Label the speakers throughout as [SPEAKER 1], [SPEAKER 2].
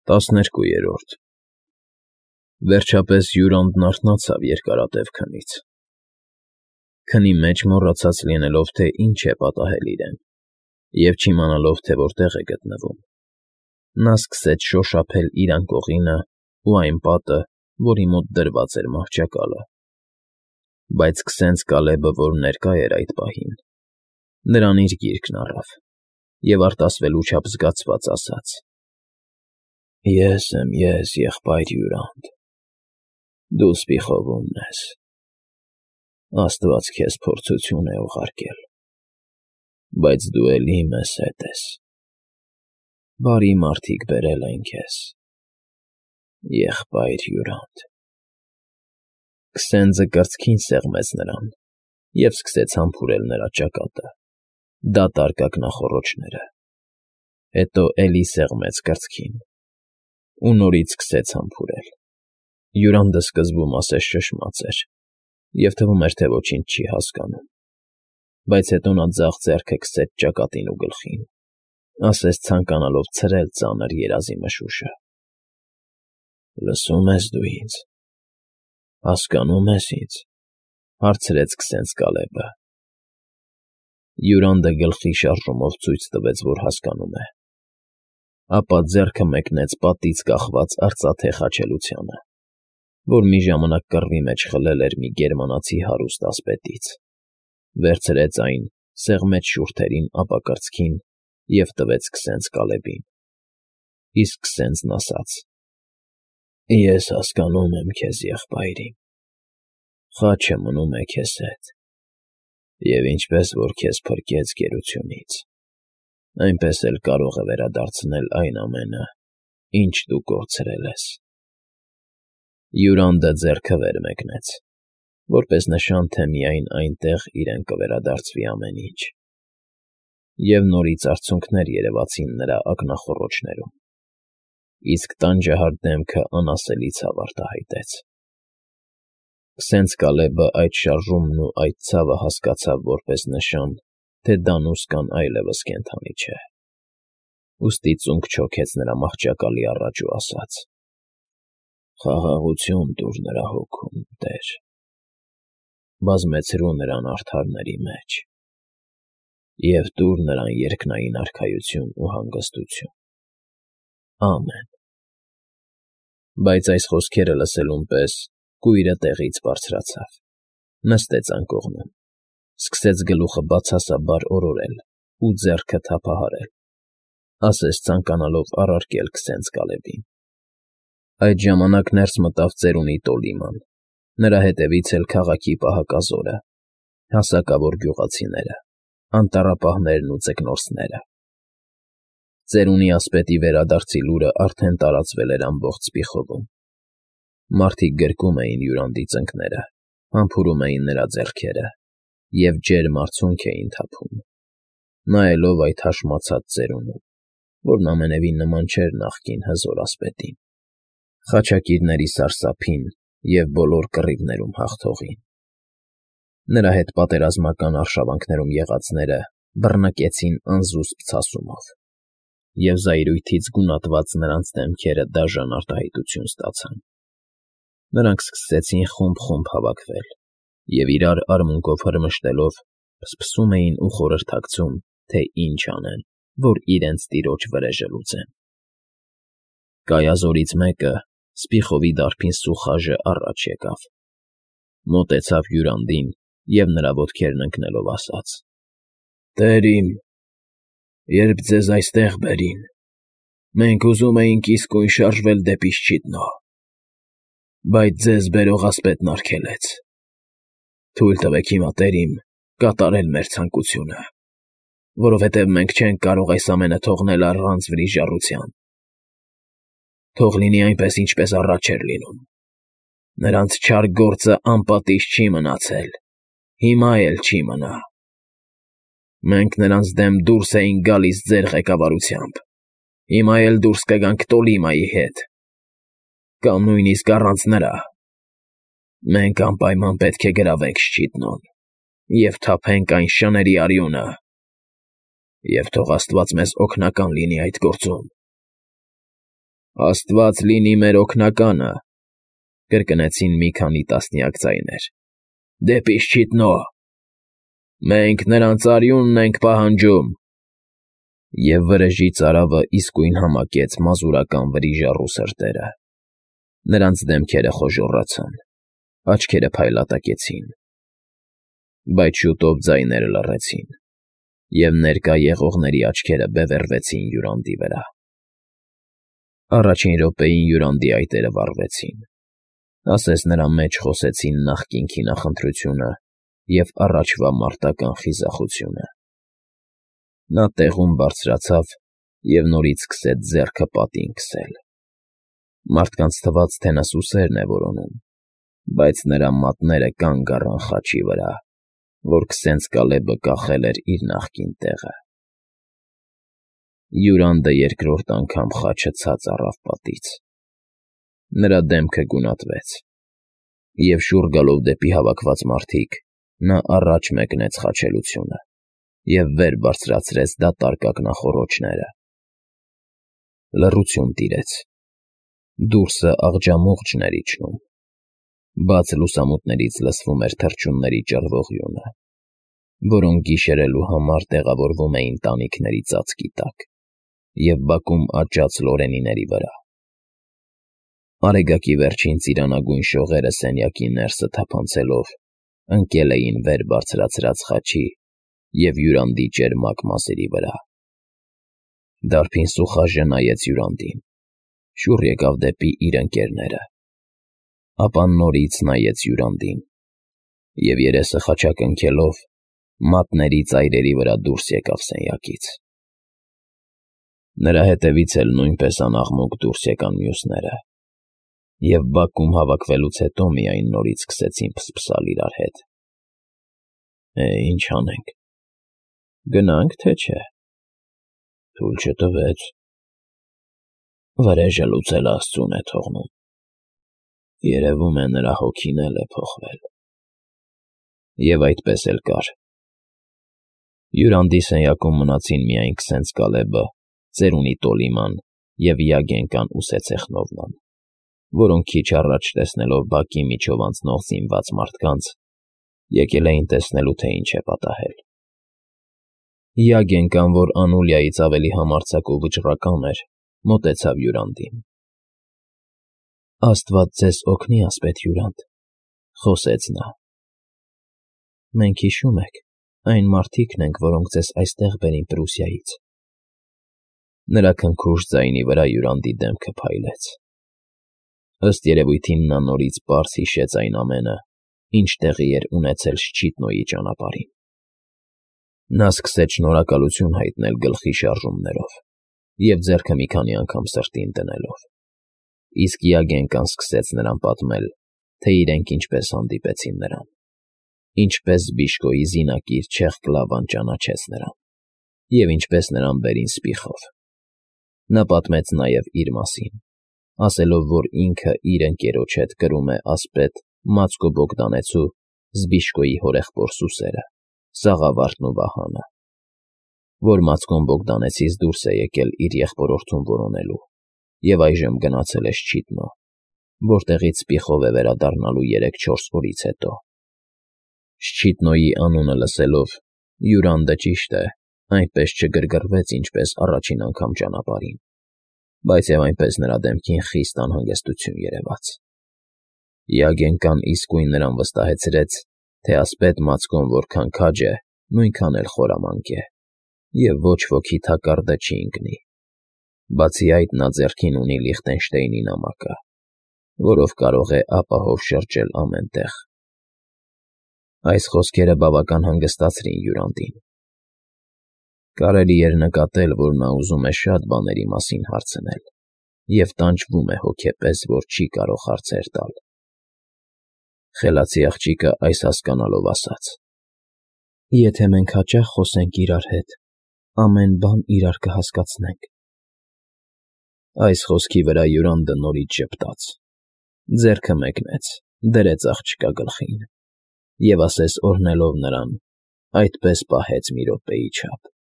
[SPEAKER 1] 12-րդ Վերջապես Յուրանդն արթնացավ երկարատև քնից։ Քնի մեջ մոռացած լինելով, թե ինչ է պատահել իրեն, և չիմանալով, թե որտեղ է գտնվում, նա սկսեց շոշափել իր անկողինը ու այն պատը, որի մոտ դրված էր մահճակալը։ Բայց Քսենց-Կալեբը, որ ներկա էր այդ պահին, նրան իր գիրկն առավ և արտասվելու չափ զգացված ասաց. «Ես եմ ես, եղբայր Յուրand, դու սպիխովումն ես, աստված քեզ փորձություն է ուղարկել, բայց դու էլի մեզ հետ ես, բարի մարդիկ բերել են քեզ, եղբայր Յուրand»։ Քսենձը կրծքին սեղմեց նրան և սկսեց համբուրել նրա ճակատը, դատարկ ակնախոռոչները, հետո էլի սեղմեց կրծքին ու նորից սկսեց համբուրել։ Յուրանդը սկզբում ասես շշմած էր, և թվում էր, թե ոչինչ չի հասկանում, բայց հետո նա ձախ ձեռքը քսեց ճակատին ու գլխին, ասես ցանկանալով ցրել ծանր երազի մշուշը։ «Լսո՞ւմ ես դու ինձ, հասկանո՞ւմ ես ինձ», հարցրեց Քսենց֊Կալեբը։ Յուրանդը գլխի շարժումով ցույց տվեց, որ հասկանում է, ապա ձեռքը մեկնեց պատից կախված արծաթե խաչելությանը, որ մի ժամանակ կռվի մեջ խլել էր մի գերմանացի հարուստ ասպետից, վերցրեց այն, սեղմեց շուրթերին, ապա կրծքին և տվեց Քսենց֊Կալեբին։ Իսկ Քսենձն ասաց. «Ես հասկանում եմ քեզ, եղբայրիմ, խաչը մնում է քեզ հետ, և ինչպես որ քեզ փրկեց գերությունից, այնպես էլ կարող է վերադարձնել այն ամենը, ինչ դու կորցրել ես»։ Յուրանդը ձեռքը վեր մեկնեց, որպես նշան, թե միայն այնտեղ իրեն կվերադարձվի ամեն ինչ, և նորից արցունքներ երևացին նրա ակնախոռոչներում, իսկ տանջահար դեմքը անասելի ցավ արտահայտեց։ Քսենց֊Կալեբը այդ շարժումն ու այդ ցավը հասկացավ որպես նշան, թե դանուսկան այլևս կենդանի չէ, ուստի ծունկ չոքեց նրա մահճակալի առաջ ու ասաց. «Խաղաղություն տուր նրա հոգուն, Տեր, բազմեցրու նրան արդարների մեջ և տուր նրան երկնային արքայություն ու հանգստություն, ամեն»։ Բայց այս խոսքերը լսելուն պես կույրը տեղից բարձրացավ, նստեց անկողնում, սկսեց գլուխը բացասաբար օրորել ու ձեռքը թափահարել, ասես ցանկանալով առարկել Քսենց֊Կալեբին։ Այդ ժամանակ ներս մտավ ծերունի Տոլիման, նրա հետևից էլ քաղաքի պահակազորը, հասակավոր գյուղացիները, անտառապահներն ու ձկնորսները։ Ծերունի ասպետի վերադարձի լուրը արդեն տարածվել էր ամբողջ Սպիխովում։ Մարդիկ գրկում էին Յուրանդի ծնկները, համբուրում էին նրա ձեռքերը և ջերմ արցունք էին թափում, նայելով այդ հաշմացած ծերունուն, որն ամենևին նման չէր նախկին հզոր ասպետին, խաչակիրների սարսափին և բոլոր կռիվներում հաղթողին։ Նրա հետ պատերազմական արշավանքներում եղածները բռնկեցին անզուսպ ցասումով, և զայրույթից գունատված նրանց դեմքերը դաժան արտահայտություն ստացան։ Նրանք սկսեցին խումբ-խումբ հավաքվել և իրար արմունկով հրմշտելով փսփսում էին ու խորհրդակցում, թե ինչ անեն, որ իրենց տիրոջ վրեժը լուծեն։ Կայազորից մեկը, Սպիխովի դարբին Սուխաժը, առաջ եկավ, մոտեցավ Յուրանդին և նրա ոտքերն ընկնելով ասաց. «Տեր իմ, երբ ձեզ այստեղ բերին, մենք ուզում էինք իսկույն շարժվել դեպի Շչիդնո, բայց ձեզ բերող ասպետն արգելեց։ Թույլ տվեք հիմա, Տեր իմ, կատարել մեր ցանկությունը, որովհետև մենք չենք կարող այս ամենը թողնել առանց վրիժառության։ Թող լինի այնպես, ինչպես առաջ էր լինում։ Նրանց չար գործը անպատիժ չի մնացել, հիմա էլ չի մնա։ Մենք նրանց դեմ դուրս էինք գալիս ձեր ղեկավարությամբ, հիմա էլ դուրս կգանք Տոլիմայի հետ, կամ նույնիսկ առանց նրա։ Մենք անպայման պետք է գրավենք Շչիդնոն և թափենք այն շների արյունը, և թող աստված մեզ օգնական լինի այդ գործում»։ Աստված լինի մեր օգնականը, կրկնեցին մի քանի տասնյակ ձայներ։ Դեպի Շչիտնո։ Մենք նրանց արյունն ենք պահանջում։ Եվ վրեժի ծարավը իսկույն համակեց մազուրական վրիժառու սրտերը։ Նրանց դեմքերը խոժոռացան, աչքերը փայլատակեցին։ Բայց շուտով ձայները լռեցին, և ներկա եղողների աչքերը բևեռվեցին Յուրանդի վրա։ Առաջին րոպեին Յուրանդի այտերը վառվեցին, ասես նրա մեջ խոսեցին նախկին քինախնդրությունը և առաջվա մարտական խիզախությունը։ Նա տեղում բարձրացավ և նորից սկսեց ձեռքը պատին քսել։ Մարդկանց թվաց, թե նա սուսերն է որոնում, բայց նրա մատները կանգ առան խաչի վրա, որ քսենց Կալեբը կախել էր իր նախկին տեղը։ Յուրանդը երկրորդ անգամ խաչը ցած առավ պատից։ Նրա դեմքը գունատվեց, և շուռ գալով դեպի հավաքված մարդիկ, նա առաջ մեկնեց խաչելությունը և վեր բարձրացրեց դատարկ ակնախոռոչները։ Լռություն տիրեց։ Դուրսը աղջամուղջն էր իջնում։ Բաց լուսամուտներից լսվում էր թռչունների ճռվողյունը, որոնք գիշերելու համար տեղավորվում էին տանիքների ծածկի տակ և բակում աճած լորենիների վրա։ Արեգակի վերջին ծիրանագույն շողերը սենյակի ներսը թափանցելով ընկել էին վեր բարձրացրած խաչի և Յուրանդի ճերմակ մազերի վրա։ Դարբին Սուխաժը նայեց Յուրանդին, շուռ եկավ դեպի իր ընկերները, ապա նորից նայեց Յուրանդին և երեսը խաչակնքելով մատների ծայրերի վրա դուրս եկավ սենյակից։ Նրա հետևից էլ նույնպես անաղմուկ դուրս եկան մյուսները, և բակում հավաքվելուց հետո միայն նորից սկսեցին փսփսալ իրար հետ։ Ինչ անենք, գնա՞նք, թե չէ։ Թույլ չտվեց։ Վրեժը լուծել Աստծուն է թողնում։ Երևում է նրա հոգին էլ է փոխվել։ Եվ այդպես էլ կար։ Յուրանդի սենյակում մնացին միայն քսենց Կալեբը, ծերունի Տոլիման և Յագենկան ու Սեցեխնովման, որոնք քիչ առաջ տեսնելով բակի միջով անցնող զինված մարդկանց, եկել էին տեսնելու, թե ինչ է պատահել։ Յագենկան, որ Անուլիայից ավելի համարձակ ու վճռական էր, մոտեցավ Յուրանդին։ Աստված ձեզ օգնի, ասպետ Յուրանդ, խոսեց նա։ Մենք, հիշում եք, այն մարդիկն ենք, որոնք ձեզ այստեղ բերին Պրուսիայից։ Նրա քնքուշ ձայնի վրա Յուրանդի դեմքը փայլեց։ Ըստ երևույթին նա նորից պարզ հիշեց այն ամենը, ինչ տեղի էր ունեցել Շչիտնոյի ճանապարհին։ Նա սկսեց շնորհակալություն հայտնել գլխի շարժումներով և ձեռքը մի քանի անգամ սրտին դնելով, իսկ Յագենկան սկսեց նրան պատմել, թե իրենք ինչպես հանդիպեցին նրան, ինչպես Բիշկոյի զինակիր Չեղկլավան ճանաչեց նրան և ինչպես նրան բերին սպիխով։ Նա պատմեց նաև իր մասին, ասելով, որ ինքը իր ընկերոջ հետ կրում է ասպետ Մացկո Բոգդանեցու Զբիշկոյի հորեղբոր սուսերը, Սաղավարտն ու Վահանը, որ Մացկոն Բոգդանեցից դուրս է եկել իր եղբորորդուն որոնելու և այժմ գնացել է Շչիտնո, որտեղից սպիխով է վերադառնալու 3-4 օրից հետո։ Շչիտնոյի անունը լսելով, Յուրանդը, ճիշտ է, այնպես չգրգռվեց, ինչպես առաջին անգամ ճանապարհին, բայց և այնպես նրա դեմքին խիստ անհանգստություն երևաց։ Յագենկան իսկույն նրան վստահեցրեց, թե ասպետ Մացկոն որքան քաջ է, նույնքան էլ խորամանկ է, և ոչ ոքի թակարդը չի ընկնի։ Բացի այդ, նա ձեռքին ունի Լիխտենշտեյնի նամակը, որով կարող է ապահով շրջել ամեն տեղ։ Այս խոսքերը բավական հանգստացրին Յուրանդին։ Կարելի էր նկատել, որ նա ուզում է շատ բաների մասին հարցնել և տանջվում է հոգեպես, որ չի կարող հարցեր տալ։ Խելացի աղջիկը այս հասկանալով ասաց. Եթե մենք հաճախ խոսենք իրար հետ, ամեն բան իրար կհասկացնենք։ Այս խոսքի վրա Յուրանդը նորից ժպտաց, ձեռքը մեկնեց, դրեց աղջկա գլխին և, ասես օրհնելով նրան, այդպես պահեց մի րոպեի չափ։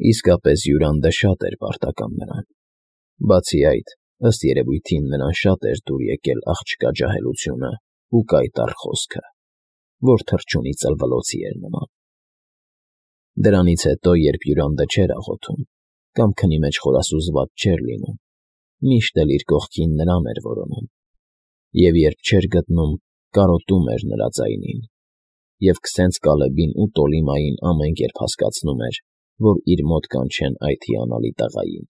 [SPEAKER 1] Իսկապես Յուրանդը շատ էր պարտական նրան, Բացի այդ, ըստ երևույթին նրան շատ էր դուր եկել աղջկա ջահելությունը ու կայտառ խոսքը, որ թռչունի ծլվլոցի էր նման։ Դրանից հետո, երբ հյուրանդը չէր աղոթում կամ քնի մեջ խորասուզված չէր լինում, միշտ էլ իր կողքին նրան էր որոնում, և երբ չէր գտնում, կարոտում էր նրա ձայնին, և քսենց Կալեբին ու Տոլիմային ամեն կերպ հասկացնում էր, որ իր մոտ կանչեն այդ հիանալի տղային։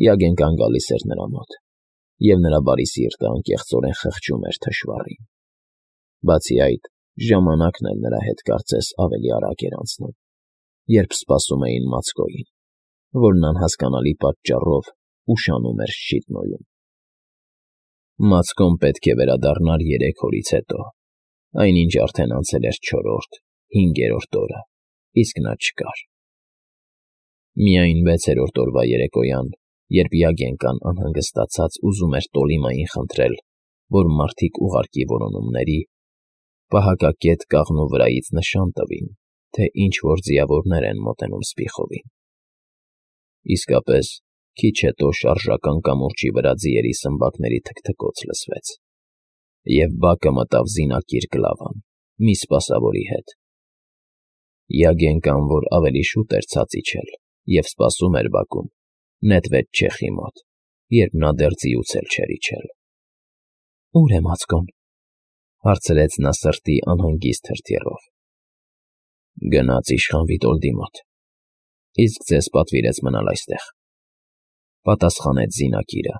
[SPEAKER 1] Յագենկան գալիս էր նրա մոտ, և նրա բարի սիրտը անկեղծորեն խղճում էր թշվառին։ Բացի այդ, ժամանակն էլ նրա հետ կարծես ավելի արագ էր անցնում, երբ սպասում էին Մացկոյին, որն անհասկանալի պատճառով ուշանում էր Շիտնոյում։ Մացկոն պետք է վերադառնար 3 օրից հետո, այնինչ արդեն անցել էր 4-րդ, 5-րդ օրը, իսկ նա չկար։ Միայն 6-րդ օրվա երեկոյան, երբ Յագենկան անհանգստացած ուզում էր Տոլիմային խնդրել, որ մարդիկ ուղարկի որոնումների, պահակակետ կաղնու վրայից նշան տվին, թե ինչ֊որ ձիավորներ են մոտենում Սպիխովին։ Իսկապես, քիչ հետո շարժական կամուրջի վրա ձիերի սմբակների թքթքոց լսվեց, և բակը մտավ զինակիր Գլավան, մի սպասավորի հետ։ Յագենկան, որ ավելի շուտ էր ցած իջել և սպասում էր բակում, նետվեց չեխի մոտ, երբ նա դեռ ձիուց էլ չէր իջել։ ֊ Ո՞ւր է Մացկոն,֊ հարցրեց նա սրտի անհանգիստ հրթիռով։ ֊ Գնաց իշխան Վիտոլդի մոտ, իսկ ձեզ պատվիրեց մնալ այստեղ,֊ պատասխանեց զինակիրը